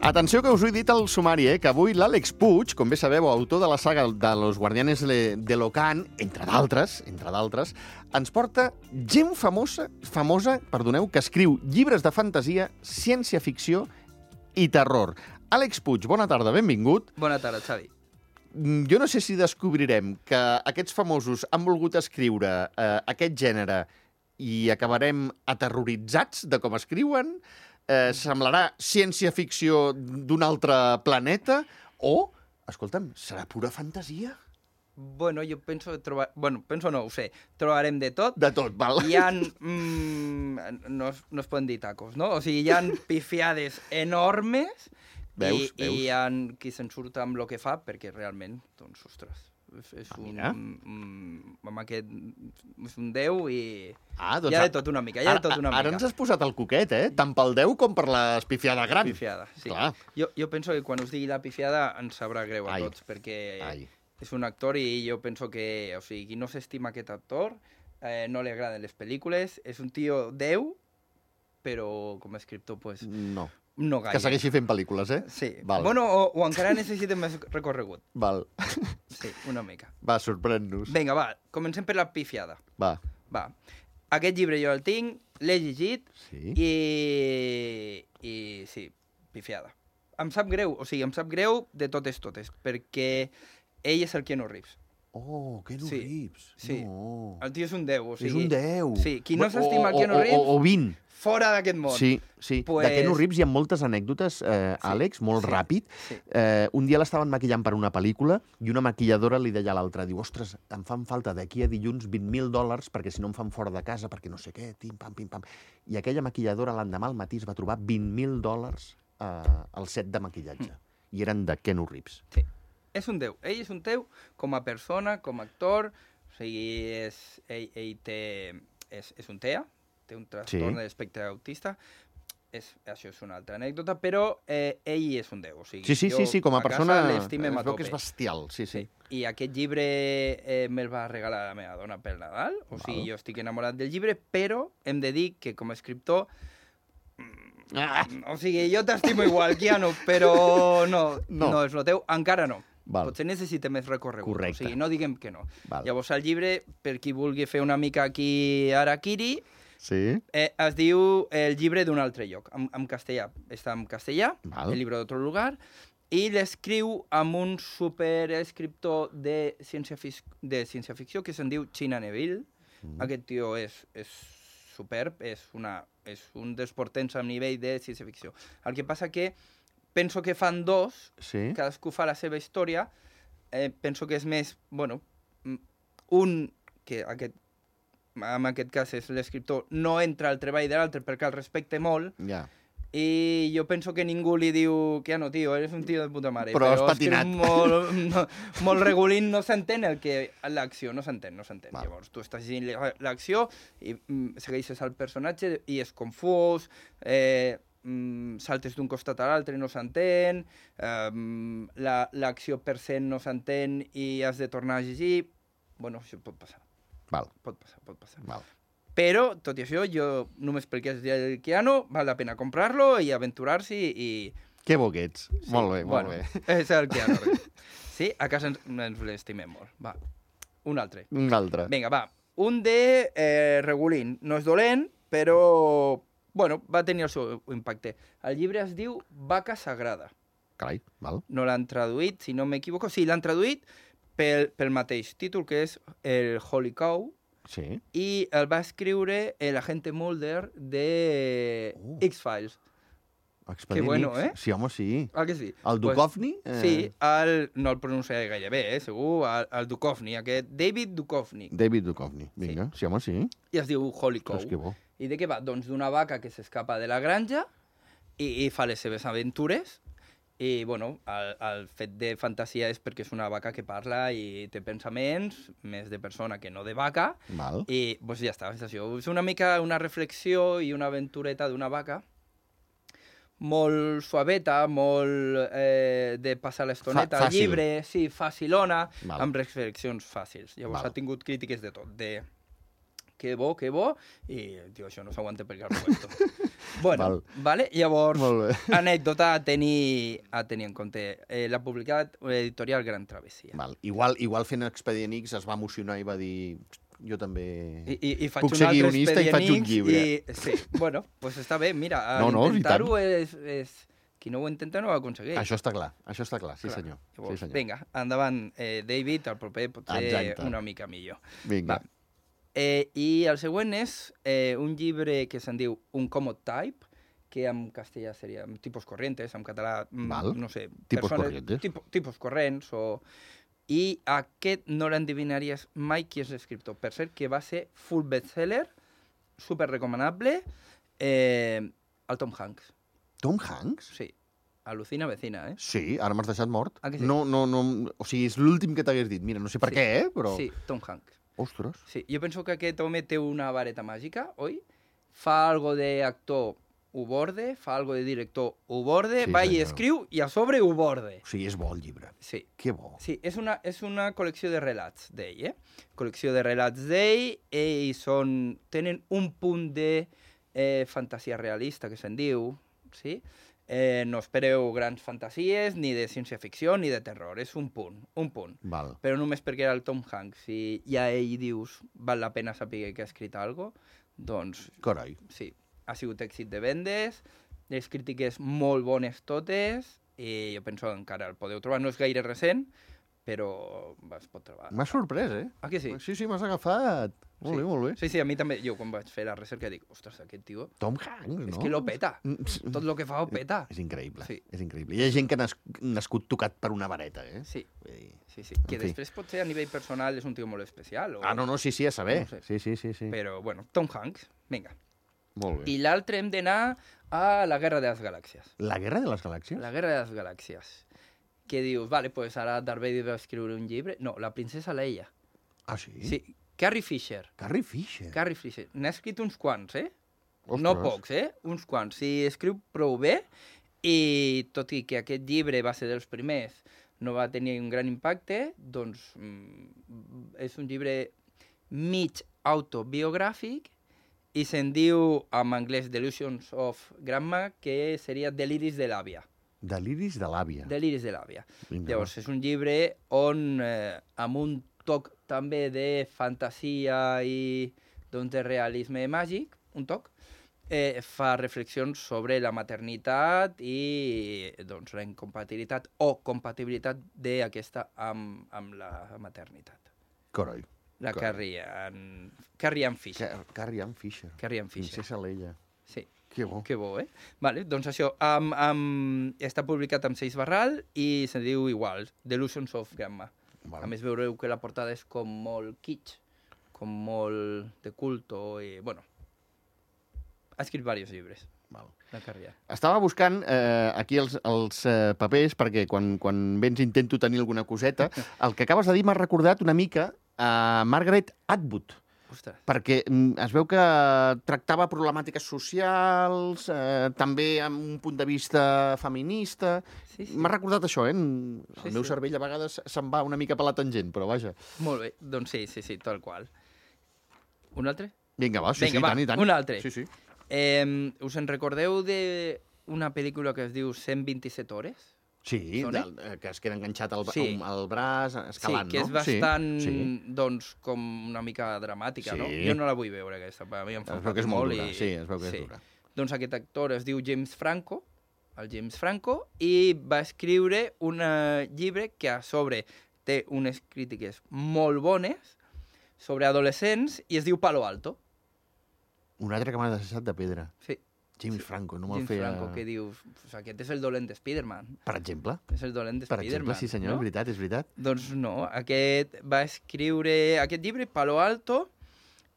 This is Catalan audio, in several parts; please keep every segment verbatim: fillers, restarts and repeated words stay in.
Atenció que us ho he dit al sumari, eh? Que avui l'Àlex Puig, com bé sabeu, autor de la saga de Los Guardianes de l'Ocan, entre d'altres, entre d'altres, ens porta gent famosa, famosa, perdoneu, que escriu llibres de fantasia, ciència-ficció i terror. Àlex Puig, bona tarda, benvingut. Bona tarda, Xavi. Jo no sé si descobrirem que aquests famosos han volgut escriure eh, aquest gènere i acabarem aterroritzats de com escriuen, eh, semblarà ciència-ficció d'un altre planeta, o, escolta'm, serà pura fantasia? Bueno, jo penso trobar... Bueno, penso no, ho sé. Trobarem de tot. De tot, val. Hi ha... Mm, no, es, no es poden dir tacos, no? O sigui, hi ha pifiades enormes. Veus, i, veus. I hi ha qui se'n surt amb el que fa, perquè realment, doncs, ostres, és, és Ah, un... mira. Mm, amb aquest... És un déu i... Ah, doncs hi ha a- de tot una mica, hi ha de tot una Ara, ara mica. ens has posat el coquet, eh? Tant pel Déu com per l'espifiada gran. Pifiada, sí. Clar. Jo, jo penso que quan us digui la pifiada ens sabrà greu a Ai. tots, perquè... Ai. És un actor i jo penso que, o sigui, qui no s'estima aquest actor, eh, no li agraden les pel·lícules, és un tio déu, però com a escriptor, pues, No. no gaire. Que segueixi fent pel·lícules, eh? Sí. Val. Bueno, o, o encara necessita més recorregut. Val. Sí, una mica. Va, sorprèn-nos. Vinga, va, comencem per la pifiada. Va. Va. Aquest llibre jo el tinc, l'he llegit Sí. i... I sí, pifiada. Em sap greu, o sigui, em sap greu de totes totes, perquè ell és el Keanu Reeves. Oh, Keanu Sí, Reeves. sí. No. El tio és un déu, o sigui... És un déu. Sí, qui no O- s'estima o- el Keanu o- Reeves, O, o vint. fora d'aquest món. Sí, sí. Pues- De Keanu Reeves hi ha moltes anècdotes, eh, Sí, Àlex, molt sí, ràpid. sí. Eh, un dia l'estaven maquillant per una pel·lícula i una maquilladora li deia a l'altra, diu, ostres, em fan falta d'aquí a dilluns vint mil dòlars perquè si no em fan fora de casa, perquè no sé què, tim, pam, pim, pam. I aquella maquilladora l'endemà al matí es va trobar vint mil dòlars eh, al set de maquillatge. Mm. I eren de Keanu Reeves. Sí. És un déu. Ell és un déu com a persona, com a actor. O sigui, és, ell, ell té... És, és un T E A, té un trastorn Sí. de l'espectre autista. És, això és una altra anècdota, però eh, ell és un déu. O sigui, Sí, sí, jo sí, sí, com a, casa persona l'estimem a es veu que tope. és bestial. Sí, sí. Sí. I aquest llibre eh, me'l va regalar la meva dona pel Nadal. O sigui, Val. jo estic enamorat del llibre, però hem de dir que com a escriptor... Ah! O sigui, jo t'estimo igual, Keanu, però no, No. no, no és el teu, encara no. Val. Potser necessita més recorregut. Correcte. O sigui, no diguem que no. Val. Llavors, el llibre, per qui vulgui fer una mica aquí Harakiri, Sí? eh, es diu El llibre d'un altre lloc, en, en castellà. Està en castellà, Val. El llibre d'otro lugar, i l'escriu amb un superescriptor de ciència-ficció, de ciència-ficció que se'n diu China Neville. Mm. Aquest tio és, és superb, és, una, és un dels portents a nivell de ciència-ficció. El que passa que penso que fan dos, Sí? cadascú fa la seva història, eh, penso que és més, bueno, mm, un, que aquest, en aquest cas és l'escriptor, no entra al treball de l'altre perquè el respecte molt, Ja. i jo penso que ningú li diu que no, tio, eres un tio de puta mare. Però has escriu patinat. Molt, no, molt regulín, no s'entén el que... L'acció, no s'entén, no s'entén. Val. Llavors, tu estàs llegint la- l'acció i mm, segueixes el personatge i és confús, eh, mm, saltes d'un costat a l'altre i no s'entén, eh, la- l'acció per cent no s'entén i has de tornar a llegir... Bueno, això pot passar, Val, pot passar, pot passar. val. Però, tot i això, jo només perquè és el Keanu, val la pena comprar-lo i aventurar-s'hi i... Que bo que ets. Sí, Molt bé, molt bueno, bé. És el Keanu Reeves. Sí, a casa ens, ens l'estimem molt. Va, un altre. Un altre. Vinga, va. Un de eh, Regulín. No és dolent, però... Bueno, va tenir el seu impacte. El llibre es diu Vaca Sagrada. Carai, val. No l'han traduït, si no m'equivoco. Sí, l'han traduït pel, pel mateix títol, que és el Holy Cow, Sí. i el va escriure l'agente Mulder de Oh. X-Files. Expedient Que bueno, X. eh? Sí, home, sí. Ah, que sí? El Duchovny? Pues, sí, el, no el pronunciaré gaire bé, eh, segur, el, el Duchovny, aquest David Duchovny. David Duchovny. Vinga, sí, sí home, sí. I es diu Holy Cow. Ostres, que bo. I de què va? Doncs d'una vaca que s'escapa de la granja i, i fa les seves aventures. I, bueno, el, el fet de fantasia és perquè és una vaca que parla i té pensaments, més de persona que no de vaca. Val. I, doncs ja està, és això. És una mica una reflexió i una aventureta d'una vaca molt suaveta, molt eh, de passar l'estoneta Fa- al fàcil. llibre, sí, facilona, Val. amb reflexions fàcils. Llavors Val. ha tingut crítiques de tot, de que bo, que bo, i, tio, això no s'aguanta per cap puesto. Bueno, Val. vale? Llavors, Molt bé. anècdota a tenir, a tenir en compte. Eh, L'ha publicat l'editorial Gran Travessia. Val. Igual, igual fent Expedient X es va emocionar i va dir... Jo també I, i, i faig puc un ser altre guionista i faig un Expedient X llibre. I, sí, bueno, doncs està bé, mira, No, no, i tant. intentar-ho és, és... Qui no ho intenta no ho aconsegueix. Això està clar, això està clar, sí Clar. senyor. Llavors, Sí, senyor. vinga, endavant, eh, David, el proper pot ser Exacte. una mica millor. Vinga. Va. Eh, I el següent és eh, un llibre que se'n diu Un Common Type, que en castellà seria tipus corrientes, en català, mm, Val. no sé... Tipus corrientes. Tipo, tipus corrents, o... I aquest no l'endevinaries mai qui és l'escriptor. Per cert, que va ser full bestseller, super recomanable, eh, el Tom Hanks. Tom Hanks? Sí, alucina vecina, eh? Sí, ara m'has deixat mort. Ah, que sí? No, no, no... O sigui, és l'últim que t'hagués dit. Mira, no sé per Sí. què, eh, però... Sí, Tom Hanks. Ostres. Sí, jo penso que aquest home té una vareta màgica, oi? Fa algo d'actor, ho borde, fa algo de director, ho borde, Sí, va i senyor. escriu i a sobre ho borde. O sigui, és bo el llibre. Sí. Que bo. Sí, és una, és una col·lecció de relats d'ell, eh? Col·lecció de relats d'ell, i són, tenen un punt de eh, fantasia realista, que se'n diu, sí? Eh, no espereu grans fantasies, ni de ciència-ficció, ni de terror, és un punt, un punt. Val. Però només perquè era el Tom Hanks, i ja ell dius, val la pena saber que ha escrit alguna cosa, doncs Carai. sí, ha sigut èxit de vendes, les crítiques molt bones totes, i jo penso que encara el podeu trobar. No és gaire recent, però es pot trobar. M'ha sorprès, eh? Ah, que sí? Sí, sí, m'has agafat. Molt Sí. bé, molt bé. Sí, sí, a mi també, jo quan vaig fer la recerca dic, ostres, aquest tio, Tom Hanks, no? és que lo peta. Mm, Tot el que fa ho peta. És increïble, Sí. és increïble. Hi ha gent que ha nas nascut tocat per una vareta, eh? Sí, Vull dir... sí, sí. Que En fi. després potser a nivell personal és un tio molt especial. O... Ah, no, no, sí, sí, a saber. No ho sé. Sí, sí, sí, sí. Però, bueno, Tom Hanks, vinga. Molt bé. I l'altre hem d'anar a la Guerra de les Galàxies. La Guerra de les Galàxies? La Guerra de les Galàxies. Que dius, vale, pues ara Darth Vader va escriure un llibre. No, la princesa Leia. Ah, sí? Sí, Carrie Fisher. Carrie Fisher. Carrie Fisher. N'ha escrit uns quants, eh? Ostres. No pocs, eh? Uns quants. Sí, escriu prou bé, i tot i que aquest llibre va ser dels primers, no va tenir un gran impacte, doncs mm, és un llibre mig autobiogràfic, i se'n diu en anglès Delusions of Grandma, que seria Deliris de l'àvia. Deliris de l'àvia. Deliris de l'àvia. Vinga, Llavors, és un llibre on, eh, amb un toc també de fantasia i doncs, de realisme màgic, un toc, eh, fa reflexions sobre la maternitat i doncs, la incompatibilitat o compatibilitat d'aquesta amb, amb la maternitat. Carai. La Carai. Carrie Ann, Carrie Ann Fisher. Car Carrie Ann Fisher. Carrie Ann Fisher. Princesa Leia. Sí. Que bo. Que bo, eh? Vale, doncs això, um, um, està publicat amb Seix Barral i se diu igual, Delusions of Grandma. Val. A més, veureu que la portada és com molt kitsch, com molt de culto i, bueno, ha escrit diversos llibres, Val. la Carrie. Estava buscant eh, aquí els, els eh, papers perquè quan, quan vens intento tenir alguna coseta. El que acabes de dir m'ha recordat una mica a Margaret Atwood, Ostres, perquè mm, es veu que tractava problemàtiques socials, eh, també amb un punt de vista feminista. sí, sí. M'ha recordat això, eh? El Sí, meu sí. cervell a vegades se'n va una mica per la tangent, però vaja. Molt bé, doncs sí, sí, sí, tal qual. Un altre? Vinga, va, sí, Vinga, sí, va, tant i tant. un altre. Sí, sí. Eh, us en recordeu d'una pel·lícula que es diu cent vint-i-set hores? Sí, Sona? del, eh, que es queda enganxat al, Sí. al, al braç, escalant, sí, que és no? bastant, Sí, sí. doncs, com una mica dramàtica, Sí. no? Jo no la vull veure, aquesta, a mi em fa Es veu que és molt dura, i... sí, es veu que és dura. Doncs aquest actor es diu James Franco, el James Franco, i va escriure un eh, llibre que a sobre té unes crítiques molt bones sobre adolescents i es diu Palo Alto. Un altre que m'ha deixat de pedra. Sí, James Franco, no me'l James feia... Franco, que dius, pues, aquest és el dolent de Spider-Man. Per exemple? És el dolent de Per Spider-Man. exemple, sí senyor, no? és veritat, és veritat. Doncs no, aquest va escriure aquest llibre, Palo Alto,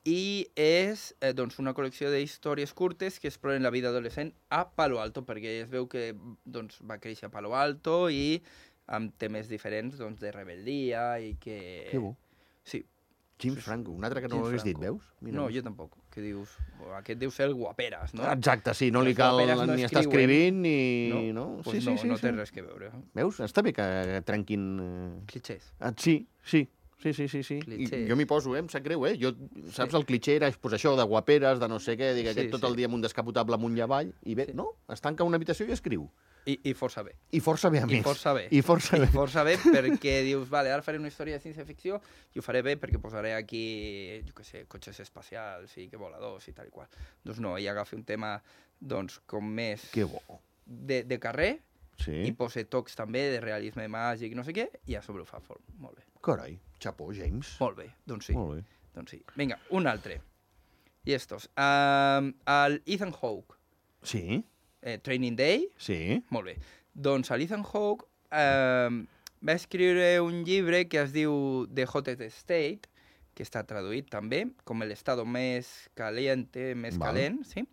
i és eh, doncs una col·lecció d'històries curtes que exploren la vida adolescent a Palo Alto, perquè es veu que doncs, va créixer a Palo Alto i amb temes diferents doncs, de rebel·lia i que... Que bo. Sí. James Franco, un altre que no James l'hagués dit, Franco. veus? Mira, no, veus? jo tampoc. Que dius, oh, aquest deu ser el guaperes, no? Exacte, sí, no li Les cal guaperes no ni estar escriuen. escrivint ni... No? no? Pues sí, no, sí, sí, no té sí. res que veure. Veus? Està bé que trenquin... eh, Clichés. Ah, sí, sí. Sí, sí, sí, sí. Clitxé. I jo m'hi poso, eh? Em sap greu, eh? Jo, saps, el clitxé era pues, això, de guaperes, de no sé què, dic, Sí, aquest tot el sí. dia amb un descapotable amunt i avall, i bé, Sí. no, es tanca una habitació i escriu. I, I força bé. I força bé, a I més. força bé. I força I bé. força bé perquè dius, vale, ara faré una història de ciència-ficció i ho faré bé perquè posaré aquí, jo què sé, cotxes espacials i que voladors i tal i qual. Doncs no, ella agafa un tema, doncs, com més Que bo. de, de carrer Sí. i posa tocs també de realisme màgic, no sé què, i a sobre ho fa fort. Molt bé. Carai, xapó, James. Molt bé, doncs sí. Molt bé. Doncs sí. Vinga, un altre. I estos. Um, el Ethan Hawke, Sí, eh, Training Day, sí. molt bé. Doncs l'Ethan Hawke eh, va escriure un llibre que es diu The Hottest State, que està traduït també, com l'estado més caliente, més Val. calent, sí?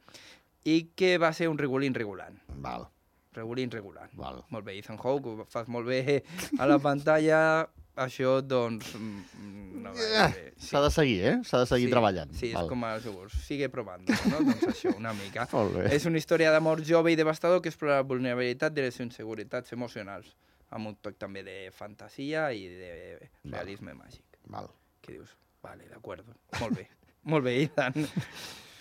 I que va ser un regulín regulant. Val, Regulín regulant. val. Molt bé, Ethan Hawke, ho fas molt bé a la pantalla, això, doncs... mm, No va bé. S'ha de seguir, eh? S'ha de seguir sí, treballant. Sí, és Val. com els jocs. Sigue provant, no? Doncs això, una mica. Molt bé. És una història d'amor jove i devastador que explora la vulnerabilitat de les inseguretats emocionals, amb un toc també de fantasia i de realisme màgic. Val. Que dius, vale, d'acord, molt bé. Molt bé, Ethan.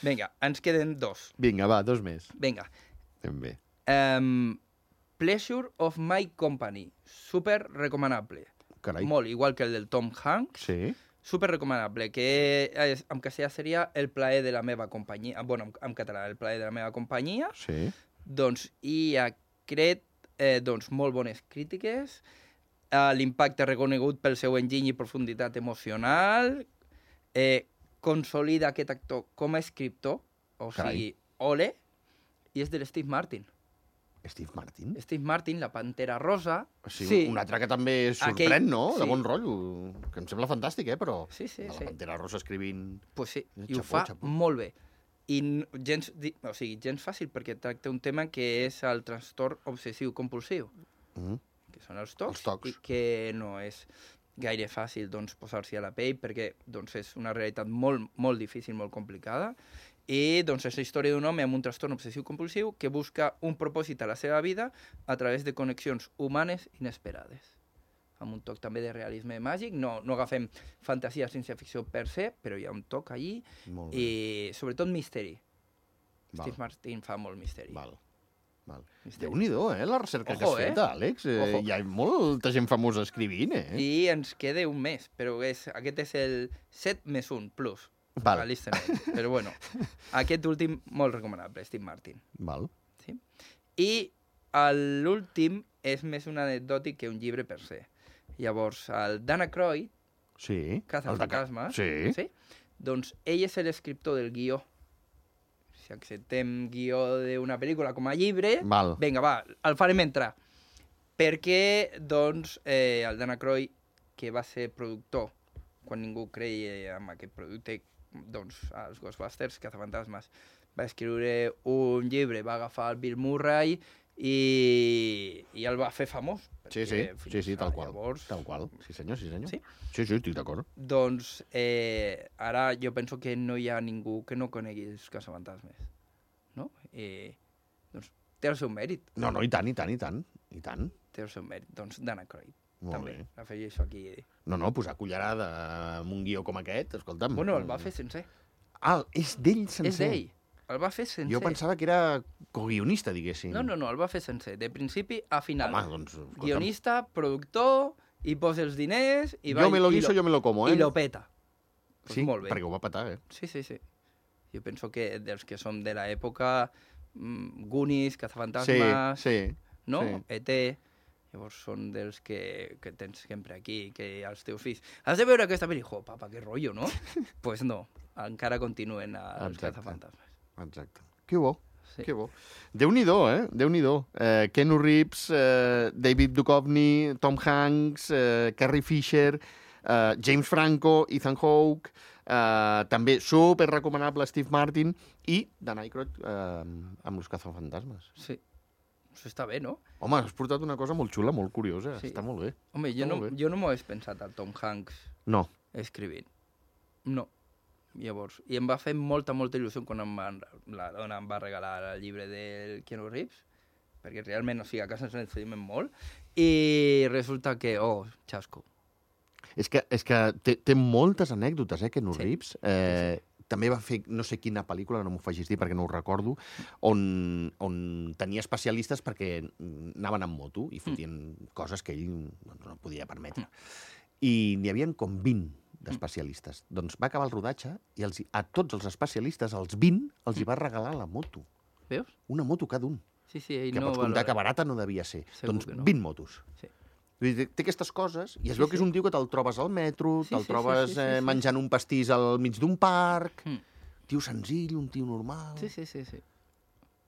Vinga, ens queden dos. Vinga, va, dos més. Vinga. Ben bé. Um, Pleasure of My Company. Super recomanable. Carai. Molt, igual que el del Tom Hanks. Sí. Super recomanable, que és, en castellà seria El plaer de la meva companyia. Bueno, en, en català, El plaer de la meva companyia. Sí. Doncs, i ha creat eh, doncs, molt bones crítiques, eh, l'impacte reconegut pel seu enginy i profunditat emocional, eh, consolida aquest actor com a escriptor, o Carai. sigui, ole, i és de l'Steve Martin. Steve Martin? Steve Martin, La Pantera Rosa... O sigui, un altre que també sorprèn, Aquell- no? De sí. bon rotllo. Que em sembla fantàstic, eh? Però Sí, sí, la sí. Pantera Rosa escrivint... Pues sí, Eh, i ho xapó, fa xapó. molt bé. I n- gens, di- o sigui, gens fàcil, perquè tracta un tema que és el trastorn obsessiu-compulsiu, Mm. que són els tocs, Els tocs. i que no és gaire fàcil doncs, posar-s'hi a la pell, perquè doncs, és una realitat molt, molt difícil, molt complicada, i doncs, és la història d'un home amb un trastorn obsessiu-compulsiu que busca un propòsit a la seva vida a través de connexions humanes inesperades. Amb un toc també de realisme màgic, no, no agafem fantasia, ciència-ficció per se, però hi ha un toc allí, Molt bé. i sobretot misteri. Val. Steve Martin fa molt misteri. Val. Val. Misteri. Déu-n'hi-do, eh? La recerca que Ojo, has fet, eh? Àlex. Eh, Ojo. hi ha molta gent famosa escrivint, eh? I ens queda un mes, però és, aquest és el set més un plus. Val. A l'Eastern. Però bueno, aquest últim molt recomanable, Steve Martin. Val. Sí? I l'últim és més un anecdòtic que un llibre per se. Llavors, el Dana Croyd, Sí. Caza El de ca- fantasmes, Sí. sí? Doncs ell és l'escriptor del guió. Si acceptem guió d'una pel·lícula com a llibre, Val. vinga, va, el farem entrar. Perquè, doncs, eh, el Dana Croyd, que va ser productor, quan ningú creia en aquest producte, doncs, els Ghostbusters, Cazafantasmes, va escriure un llibre, va agafar el Bill Murray i, i el va fer famós. Sí, perquè sí, fins sí, sí, tal a qual. Llavors, Tal qual. Sí, senyor, sí, senyor. Sí? Sí, sí, estic d'acord. doncs, eh, ara jo penso que no hi ha ningú que no conegui els Cazafantasmes, no? I, doncs, té el seu mèrit, No, no, i tant, i tant, i tant. I tant. té el seu mèrit. Doncs Dana Croyd, Molt també, bé. l'afegeixo aquí. No, no, posar cullerada amb un guió com aquest, escolta'm. Bueno, el va fer sencer. Ah, és d'ell sencer. És d'ell. El va fer sencer. Jo pensava que era coguionista, diguéssim. No, no, no, el va fer sencer, de principi a final. Home, doncs, escolta'm, Guionista, productor, i posa els diners... I va, jo me lo i guiso, jo me lo como, eh? I lo peta. Pues Sí, molt bé. perquè ho va petar, eh? Sí, sí, sí. Jo penso que dels que som de l'època, mm, Goonies, Sí, Cazafantasmes, sí. no? sí. E T, llavors són dels que, que tens sempre aquí, que els teus fills... Has de veure aquesta pel·li? Jo, papa, que rotllo, no? Pues no, encara continuen els Exacte. Cazafantasmes. Exacte. Que bo. Sí. Que bo. Déu-n'hi-do, eh? Déu-n'hi-do. Eh, Keanu Reeves, eh, David Duchovny, Tom Hanks, eh, Carrie Fisher, eh, James Franco, Ethan Hawke, eh, també super recomanable Steve Martin i Dan Aykroyd eh, amb los cazafantasmes. Sí, això està bé, no? Home, has portat una cosa molt xula, molt curiosa. Sí. Està molt bé. Home, jo Està no, molt bé. jo no m'ho hagués pensat al Tom Hanks No. escrivint. No. Llavors, i em va fer molta, molta il·lusió quan em van, la dona em va regalar el llibre del Keanu Reeves, perquè realment, o sigui, a casa ens l'ensenyem molt, i resulta que, oh, xasco. És que, és que té, té moltes anècdotes, eh, Keanu Sí. Reeves. Eh, també va fer no sé quina pel·lícula, no m'ho facis dir perquè no ho recordo, on, on tenia especialistes perquè anaven amb moto i fotien mm. coses que ell doncs, no podia permetre. I n'hi havia com vint d'especialistes. Mm. Doncs va acabar el rodatge i els, a tots els especialistes, els vint, els hi va regalar la moto. Veus? Una moto cada un. Sí, sí, ell Que no pots comptar valora. que barata no devia ser. Segur Doncs que no. vint motos. Sí. Vull dir, té aquestes coses i es Sí, veu que és sí. un tio que te'l trobes al metro, Sí, te'l sí, sí, trobes sí, sí, eh, sí. menjant un pastís al mig d'un parc. Mm. Tio senzill, un tio normal. Sí, sí, sí, sí.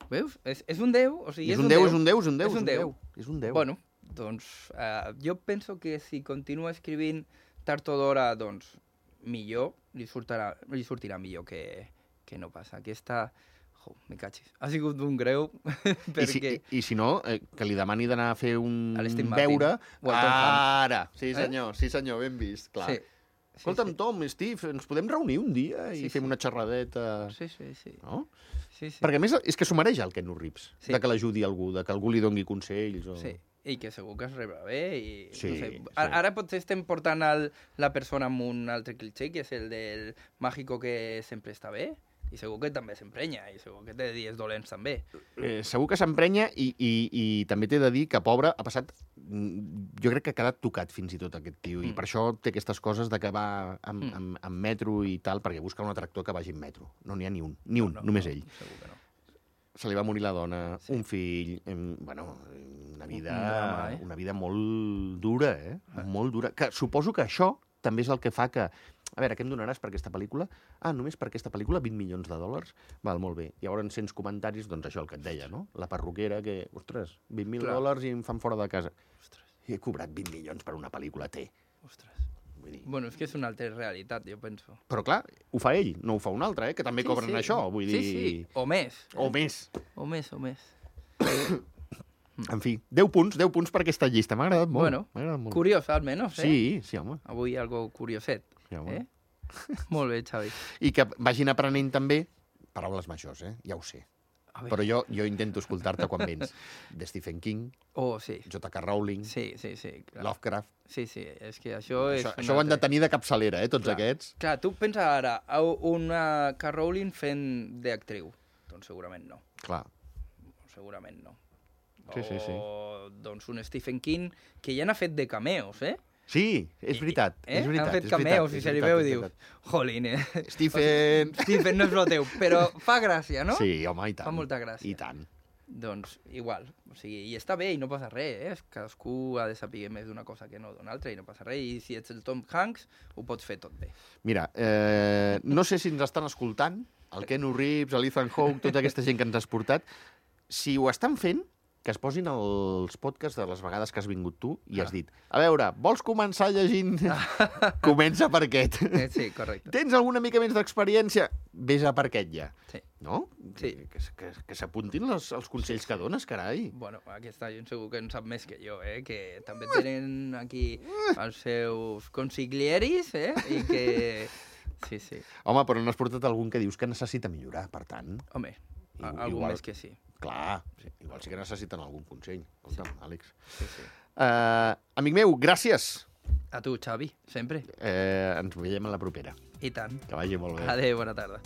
Veus? És, és un déu, o sigui, És un déu, és un déu, és un déu. És un déu. És un déu. Bueno, doncs uh, jo penso que si continua escrivint tard o d'hora, doncs millor, li sortirà, li sortirà millor que, que no passa. Aquesta... Jo, me cachis. Ha sigut un greu, I, si, perquè... i, I si no, eh, que li demani d'anar a fer un A l'Steve Martin. veure... O al Tom Hanks. Ara! Sí, senyor, eh? sí, senyor, ben vist, clar. Sí. Escolta'm, sí, sí. Tom, Steve, ens podem reunir un dia i Sí, fem sí. una xerradeta... Sí, sí, sí. No? sí, sí. Perquè a més és que s'ho mereix el Keanu Reeves, Sí. de que l'ajudi algú, de que algú li doni consells. O... Sí, i que segur que es rebrà bé. I, Sí, no sé. sí. Ara, ara potser estem portant el, la persona amb un altre cliché, que és el del màgico que sempre està bé, i segur que també s'emprenya, i segur que té dies dolents també. Eh, segur que s'emprenya i, i, i també t'he de dir que, pobre, ha passat... mm, Jo crec que ha quedat tocat fins i tot aquest tio, mm. i per això té aquestes coses de que va amb, Mm. amb, amb metro i tal, perquè busca un atractor que vagi en metro. No n'hi ha ni un, ni un, No, només no, ell. Segur que no. Se li va morir la dona, Sí. un fill, em, bueno, una vida, Un drama, eh? una vida molt dura, eh? Ah. Molt dura. Que suposo que això també és el que fa que... A veure, què em donaràs per aquesta pel·lícula? Ah, només per aquesta pel·lícula, vint milions de dòlars? Val, molt bé. I llavors, cents comentaris, doncs això el que et deia, no? La perruquera que, ostres, vint mil Clar. dòlars i em fan fora de casa. Ostres, I he cobrat vint milions per una pel·lícula, té. ostres. Vull dir... Bueno, és que és una altra realitat, jo penso. Però clar, ho fa ell, no ho fa un altre, eh? Que també Sí, cobren sí. això, vull dir... Sí, sí, o més. O més. O més, o més. En fi, deu punts, deu punts per aquesta llista. M'ha agradat molt. Bueno, m'ha agradat molt. Curiós, almenys, eh? Sí, sí, home. Avui algo curioset. Sí, home. Eh? Molt bé, Xavi. I que vagin aprenent també paraules majors, eh? Ja ho sé. A veure. Però jo, jo intento escoltar-te quan vens. De Stephen King, Oh, sí. J K. Rowling, Sí, sí, sí. Clar. Lovecraft... Sí, sí, és que això és... Això, un això ho han de altre- tenir de capçalera, eh, tots Clar. aquests. Clar, tu pensa ara, a una K. Rowling fent d'actriu. Doncs segurament no. Clar. Segurament no. Sí, sí, sí. O doncs un Stephen King que ja n'ha fet de cameos, eh? Sí, és veritat, Eh? és veritat. Han fet és veritat, cameos és i se li veritat, veu i és dius, veritat. jolín, eh? Stephen... Stephen no és el teu, però fa gràcia, no? Sí, home, i tant. Fa molta gràcia. I tant. Doncs igual, o sigui, i està bé i no passa res, eh? Cadascú ha de saber més d'una cosa que no d'una altra i no passa res, i si ets el Tom Hanks ho pots fer tot bé. Mira, eh, no sé si ens estan escoltant, el Keanu Reeves, l'Ethan Hawke, tota aquesta gent que ens has portat. Si ho estan fent, que es posin els podcasts de les vegades que has vingut tu i has dit, a veure, vols començar llegint? Comença per aquest. Eh, sí, correcte. Tens alguna mica més d'experiència? Vés a per aquest ja. Sí. No? Sí. Que, que, que s'apuntin els, els consells que dones, carai. Bueno, aquesta gent segur que en sap més que jo, eh? Que també tenen aquí els seus consiglieris, eh? I que... Sí, sí. Home, però no has portat algun que dius que necessita millorar, per tant... Home, I- algú igual- més que sí. Clar, sí, igual sí que necessiten algun consell. Escolta'm, sí. Àlex. Sí, sí. Uh, amic meu, gràcies. A tu, Xavi, sempre. Eh, ens veiem a la propera. I tant. Que vagi molt bé. Adéu, bona tarda.